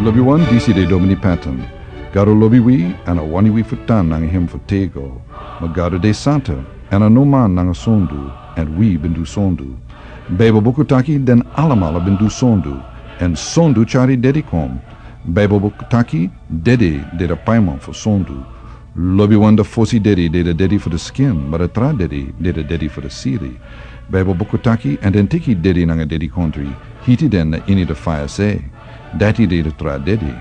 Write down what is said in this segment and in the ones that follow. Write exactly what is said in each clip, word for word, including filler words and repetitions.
Lobiwan, disi de Domini Patton. Gado lobi wi, èn a wani wi fu tan nanga hem fu tego. Ma Gado de santa, èn a no man nanga sondu, èn wi ben du sondu. Baibel buku taki den alamala ben du sondu, èn sondu tyari dedi kon. Baibel buku taki dedi de a paiman fu sondu. Lobiwan, a fosi dedi de a dedi fu a skin, ma a tra dedi de a dedi fu a sili. Baibel buku taki, èn den teki dedi nanga dedikondri, hiti den na ini a faya se. Dati de a tra dedi.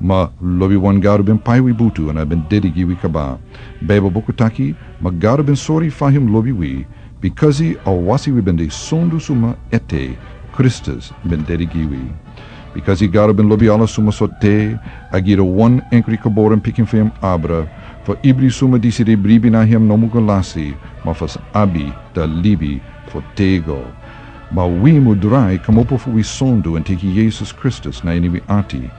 Ma lobiwan, Gado ben pai wi butu èn a ben dedi gi wi kaba. Baibel buku taki, ma Gado ben sori fa hem lobi wi, bikasi a wasi wi ben de sondu suma ete, Kristus ben dedi gi wi. Bikasi Gado ben lobi ala suma so te, a gi a wan enkri geboren pikin fu hem abra, fu ibri suma disi de bribi na hem no mu go lasi, ma fu sa abi a libi fu tego. Ma wi mu drai kmopo fu wi sondu èn teki Yesus Kristus na ini wi ati.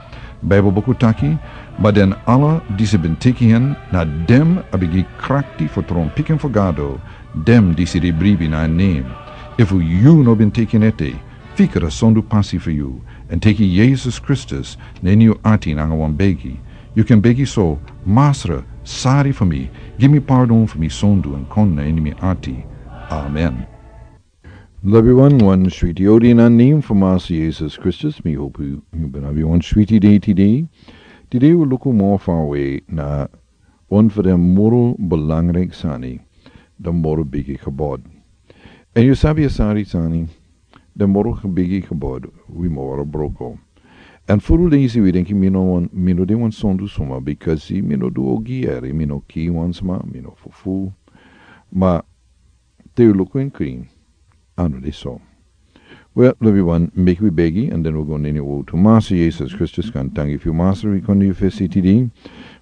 Baibel buku taki, ma den ala disi ben teki hem, na den a ben gi krakti fu tron pikin fu Gado, den disi de bribi na en nen. Efu yu no ben teki en ete, fika a sondu pasi fu yu, èn teki Yesus Kristus na ini yu ati nanga wan begi. Yu kan begi so: Masra, sari fu mi, gi mi pardon fu mi sondu èn kon na ini mi ati. Amen. Lobiwan, wan switi odi na nen fu Masra Yesus Kristus, mi hopu yu ben abi wan switi dei tide. Tide wi luku moro fawe na wan fu den moro belangriki sani, den moro bigi gebod. Èn yu sabi a sari sani, den moro bigi gebod, wi moro broko. Èn furu leisi wi denki mi no wan, mi no de wan sondu suma, bikasi mi no du ogi eri, mi no kiri wan sma, mi no fufu. Ma te wi luku en krin, a no de so. Wel, lobiwan, meki wi begi, èn den wi go na ini a wotu. Masra Yesus Kristus, kon tangi fu yu, Masra, wi kon na yu fesi tide.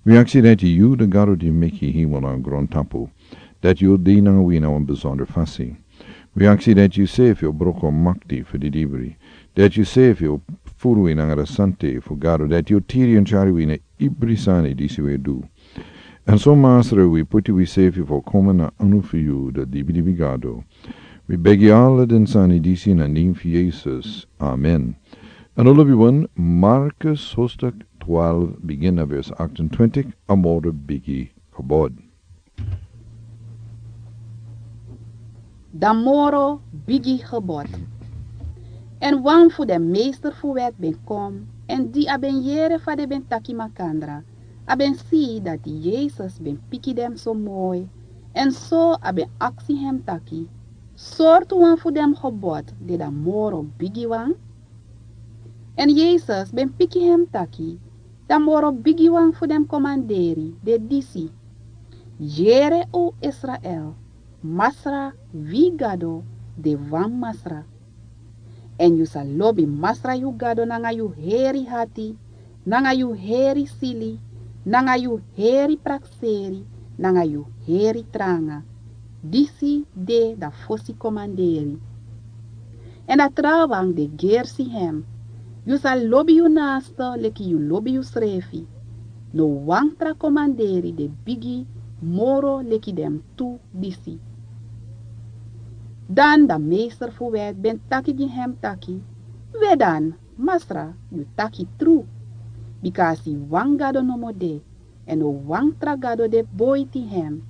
Wi aksi dati yu, a Gado di meki hemel nanga grontapu, dati yu o de nanga wi na wan besonder fasi. Wi aksi dati yu sefi o broko makti fu didibri, dati yu sefi o furu wi nanga a sante fu Gado, dati yu o tiri èn tyari wi na ibri sani disi wi e du. Èn so, Masra, wi puti wi sefi fu komen na anu fu yu, a dibidibi Gado. Wi begi ala den sani disi na nen fu Yesus. Amen. Èn lobiwan, Markus hoofdstuk twaalf, bigin na vers achtentwintig, a moro bigi gebod. A moro bigi gebod. Èn wan fu den meester fu wet ben kon, èn di a ben yere fa den ben taki makandra, a ben si dati Yesus ben piki den so moi, èn so a ben aksi hem taki: Sortu wan fu den gebod de a moro bigiwan? Èn Yesus ben piki hem taki: A moro bigiwan fu den komanderi de disi: Yere, o Israel, Masra, wi Gado, de wan Masra. Èn yu sa lobi Masra yu Gado nanga yu heri hati, nanga yu heri sili, nanga yu heri prakseri, nanga yu heri tranga. Disi de a fosi komanderi. Èn a trawan de gersi hem: Yu sa lobi yu naaste leki yu lobi yusrefi. No wan tra komanderi de bigi moro leki den tu disi. Dan a meester fu wet ben taki gi hem taki: Wedan, Masra, yu taki tru, bika a si wan Gado nomo de, èn no wan tra gado de boiti hem.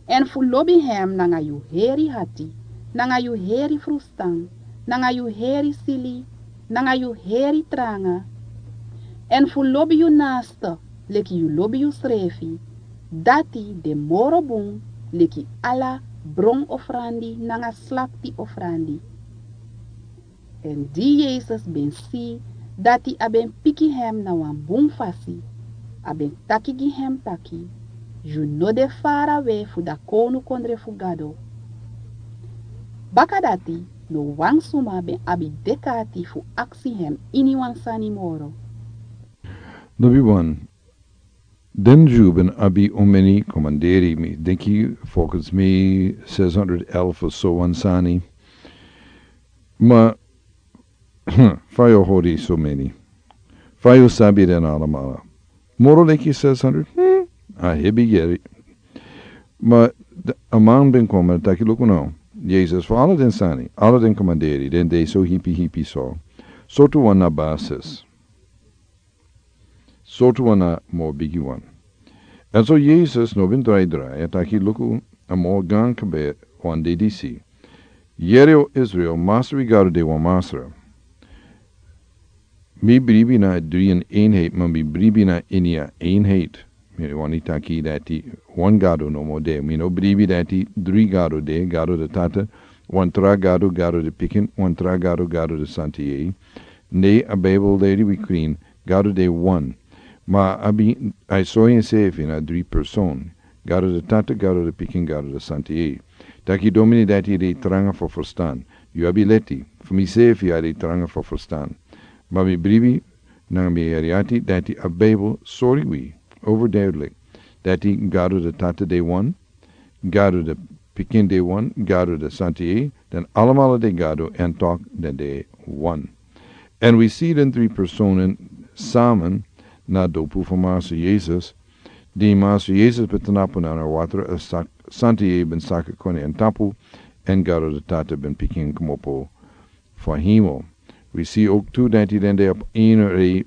Èn fu lobi hem nanga yu heri hati, nanga yu heri frustan, nanga yu heri sili, nanga yu heri tranga. Èn fu lobi yu naaste leki yu lobi yusrefi, dati de moro bun leki ala bron ofrandi nanga slakti ofrandi. Èn di Yesus ben si dati a ben piki hem na wan bun fasi, a ben taki gi hem taki: Yu no de farawe fu a kownukondre fu Gado. Bakadati no wan suma ben abi dek'ati fu aksi hem iniwan sani moro. Lobiwan, den Dyu ben abi omeni komanderi, mi denki, volgens mi, zeshonderd elf of so wan sani. Ma fa yu hori so meni? Fa yu sabi den alamala? Moro leki zeshonderd? Hmm, a hebi yere. Ma a man ben kon taki: Luku now, Yesus, fu ala den sani, ala den komanderi, den de so hipi hipi so, sortu wan na basis? Sortu wan na mo bigi wan. Èn so Yesus no ben drai drai, a taki luku a mo gan kaba wan de disi. Yere o Israel, Masra wi Gado de wan Masra. Mi bribi na dri in eenheid, ma mi bribi na ini a eenheid. Mi wani taki dati wan Gado no mo de. Mi no bribi dati dri Gado de, Gado de Tata, wan tra Gado, Gado de Pikin, wan tra Gado, Gado de Santa Yeye. Ne a Bijbel leri wi krin, Gado de wan. Ma a ben, a e sori ensefi na dri person. Gado de Tata, Gado de Pikin, Gado de Santa Yeye. Taki domini dati de tranga fu ferstan. Yu abi leti, fu misefi a de tranga fu ferstan. Ma mi bribi, nanga mi heri ati, dati a Bijbel sori wi, overduidelijk, dati Gado de Tata de wan, Gado de Pikin de wan, Gado de Santa Yeye, den alamala de Gado, èn tok den de wan. Èn wi si den dri personen samen na dopu fu Masra Yesus, di Masra Yesus ben tnapu na a watra, a sak-, Santa Yeye ben saka koni èn tapu, èn Gado de Tata ben piki en kmopo fu hemel. Wi si ook tu dati den de op een rij,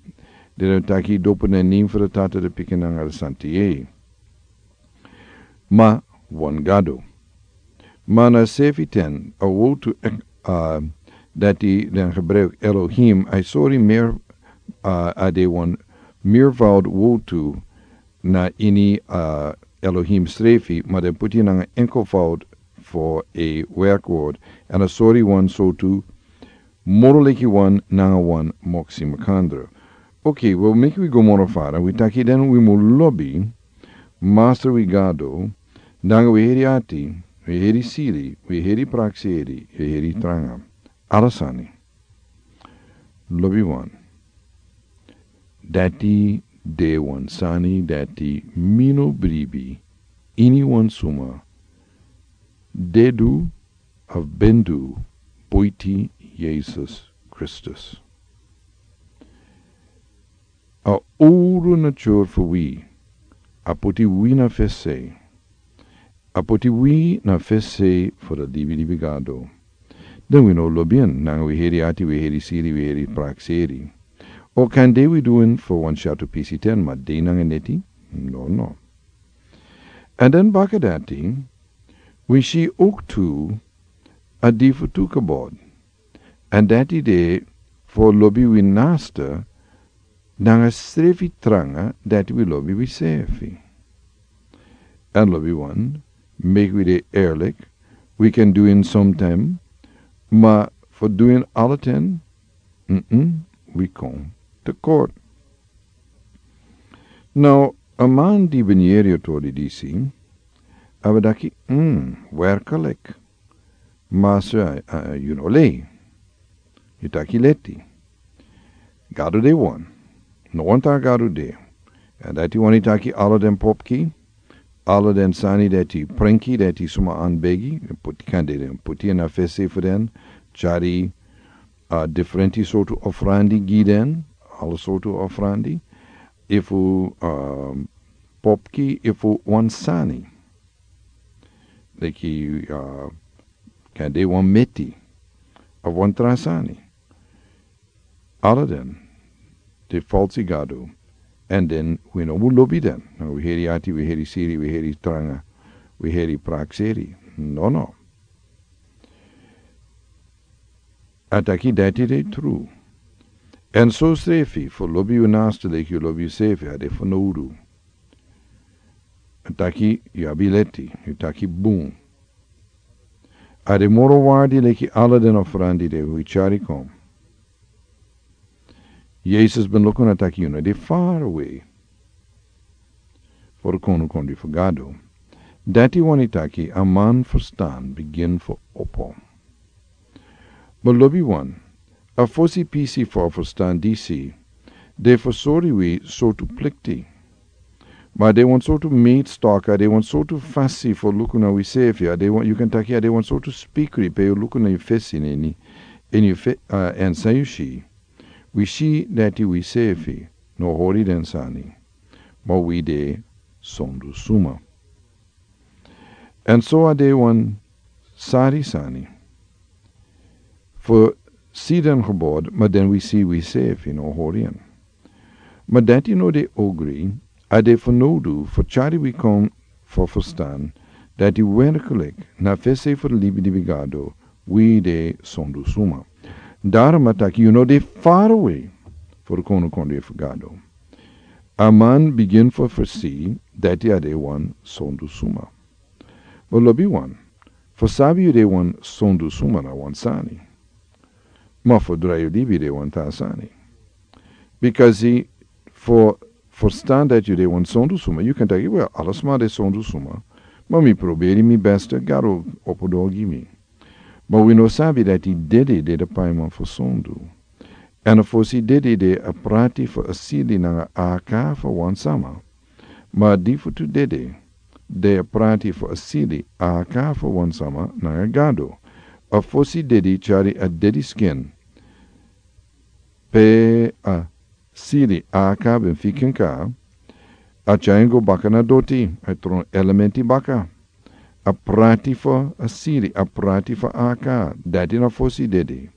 di den taki dopu na nen fu de Tata, de Pikin nanga de Santa Yeye. Ma wan Gado. Ma na sefi ten, a wotu ek-, a, dati den gebruik Elohim, a e sori meer, a, a de wan meervoud wotu na ini, a, Elohim srefi, ma den puti nanga enkelvoud fu a werkwoord. Èn a sori wan sortu moro leki wan nanga wan moksi makandra. Oké, wel, meki wi go moro fara. Wi taki den wi mu lobi Masra wi Gado, nanga wi heri ati, wi heri siri, wi heri prakseri, wi heri tranga. Ala sani. Lobi wan. Dati de wan sani dati mi no bribi ini wan suma de du of ben du buiti Yesus Kristus. A owru nature fu wi, a poti wi na fesi. A poti wi na fesi fu de libi libi Gado. Den wi no lobi en, nanga wi heri ati, wi heri siri, wi heri prakseri. O kande wi du en fu wan syatu pisi ten, ma de nanga neti? No, no. Èn den baka dati, wi si ook tu, a di fu tu kabod. Èn dati de fu lobi wi naaste, nanga srefi tranga dati wi lobi wi sefi. Èn lobi wan, meki wi de eerlijk, wi kan du en sometime, ma fu du en ala ten, mm-mm, wi kon tekort. Now, a man di ben yeri a tori disi, a ben taki, mm, werkelijk. Masra, a, a, yu no lei. Yu taki leti. Gado de wan. No wan tra Gado de. Èn dati wani taki ala den popki, ala den sani dati prenki, dati suma anbegi, den puti kande den, puti en na fesi fu den, tyari, a, diferenti sortu ofrandi gi den, ala sortu ofrandi, efu, a, popki, efu wan sani. Leki, a, kande wan meti, a wan tra sani. Ala den, de falsi gado, èn den wi no mu lobi den. No, wi heri ati, wi heri siri, wi heri tranga, wi heri prakseri. No, no. A taki dati de tru. Èn so srefi, fu lobi yu naaste leki yu lobi yusefi, a de fanowdu. A taki yu abi leti, yu taki bun. A de moro waardi leki ala den ofrandi di wi tyari kon. Yesus ben luku, a taki yu no de far away. Fu kon, kon di fu Gado. Dati wani taki a man ferstan bigin fu opo. Ma lobiwan, a fosi pisi fu a ferstan disi, de fu sori wi sortu plikti. Ma a de wan sortu meetstok, a de wan sortu fasi fu luku na wisefi, a de wan, yu kan taki a de wan sortu spikri pe yu luku na yu fesi, ini, ini yu fe-, a, èn san yu si. Wi si dati wisefi no hori den sani, ma wi de sondu suma. Èn so a de wan sari sani fu si den gebod, ma den wi si wisefi no hori en. Ma dati no de ogri, a de fanowdu fu tyari wi kon fu ferstan dati werklik na fesi fu di libi di wi gado, wi de sondu suma. Daro mataki yu no de farawe fu di konu kondre fu gado. A man bigin fu fersi dati a de wan sondu suma. Bo lobi wan, fu sabi yu de wan sondu suma na wan sani. Ma fu drai yu libi de wan ta sani. Bikasi fu ferstan dati yu de wan sondu suma, yu kan taki, wel, ala suma de sondu suma. Ma mi proberi mi beste, gado opo doro gi mi. Ma wi no sabi dati dede de de paiman fu sondu. Èn a fosi dede de a prati fu a sili nanga a aka fu wan sama. Ma a difutu dede de a prati fu a sili a aka fu wan sama nanga gado. A fosi dede tyari a dede skin. Pe a sili a aka ben fika en ka, a tyari en go baka na doti, a tron elementi baka. A prati fu a sili, a prati fu a aka, dati na fosi dede.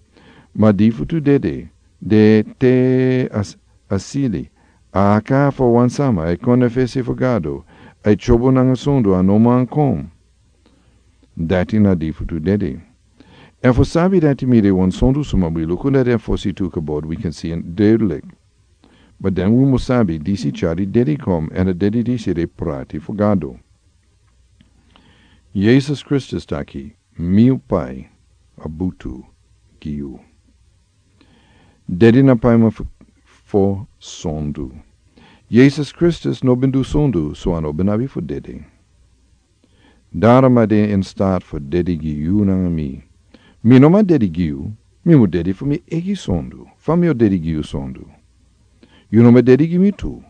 Ma difutu dede de te a s-, a sili a aka fu wan sama, a e kon na fesi fu gado, a e tyobo nanga sondu, a no man kon. Dati na difutu dede. Èn fu sabi dati mi de wan sondu suma, wi luku na den fosi tu kabod, wi kan si en duidelijk. Ma dan wi mus sabi disi tyari dede kon, èn a dede disi de prati fu gado. Yesus Kristus taki, mi o pai a butu gi yu. Dede na paiman fu, fu sondu. Yesus Kristus no ben du sondu, so a no ben abi fu dede. Daro a de in staat fu dede gi yu nanga mi. Mi no man dede gi yu, mi mus dede fu mi eigi sondu. Fa mi o dede gi yu sondu? Yu no man dede gi mi tu.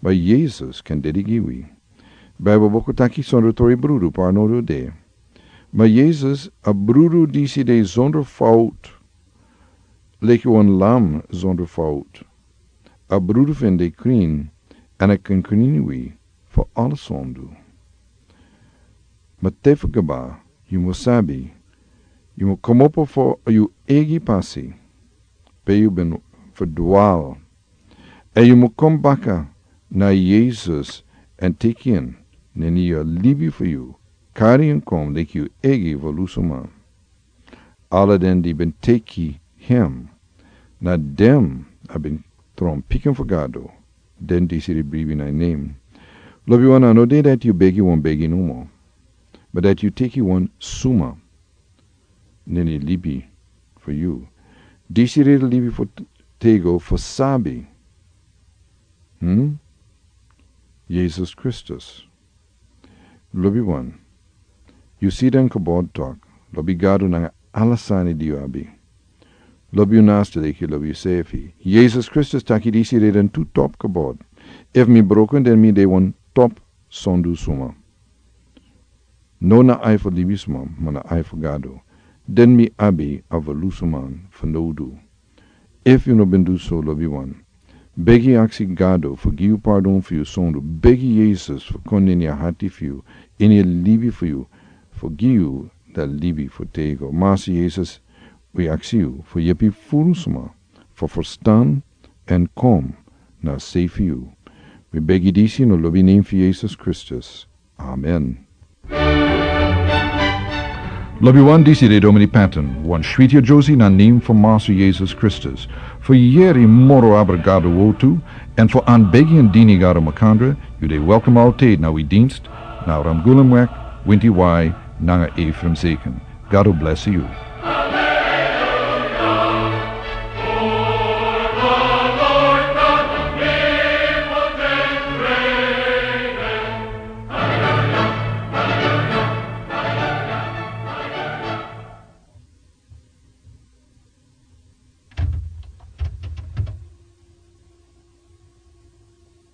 Ma Yesus kan dede gi wi. Bijbel buku taki sondro tori brudu parnodu de. Ma Yesus a brudu disi de zonder fout. Leki wan lam zonder fout. A brudu fu en de krin, èn a kan krin wi fu ala sondu. Ma te fu kaba, yu mus sabi, yu mus komopo fu yu eigi pasi, pe yu ben ferdwal. Èn yu mus kon baka na Yesus èn teki en neni yu libi fu yu, kari en kon leki yu eigi volusuman. Ala den di ben teki hem, na dem a ben tron pikin fu Gado, den disi di bribi na en nen. Lobiwan, a no de dati yu begi wan begi nomo, ma dati yu teki wan suma neni libi fu yu. Disi di libi fu t-, tego fu sabi. Hmm? Yesus Kristus. Lobiwan, yu si den kabod tok, lobi Gado nanga ala sani di yu abi. Lobi yu naaste leki yu lobi yusefi. Yesus Kristus taki disi de den tu top kabod. Efu mi broko en, den mi de wan top sondu suma. No na ai fu libisma, ma na ai fu Gado. Den mi abi a volusuman fanowdu. Efu yu no ben du so, lobiwan, begi, aksi Gado fu gi yu pardon fu yu sondu. Begi Yesus fu kon ini a hati fu yu, ini a libi fu yu, fu gi yu da libi fu tego. Masi Yesus, wi aksi yu fu yepi furu suma fu ferstan èn kon na sei fu yu. Wi begi disi na lobi nen fu Yesus Kristus. Amen. Lobiwan, disi de Domini Patton, wan switi a Josi na nen fu Masi Yesus Kristus. Fu yeri moro abra Gado wortu, èn fu an begi èn dini Gado makandra, yu de welkom altijd na wi dienst, na Ramgulemweg, winti wai, nanga Ephraim Zeken. Gado blesi yu.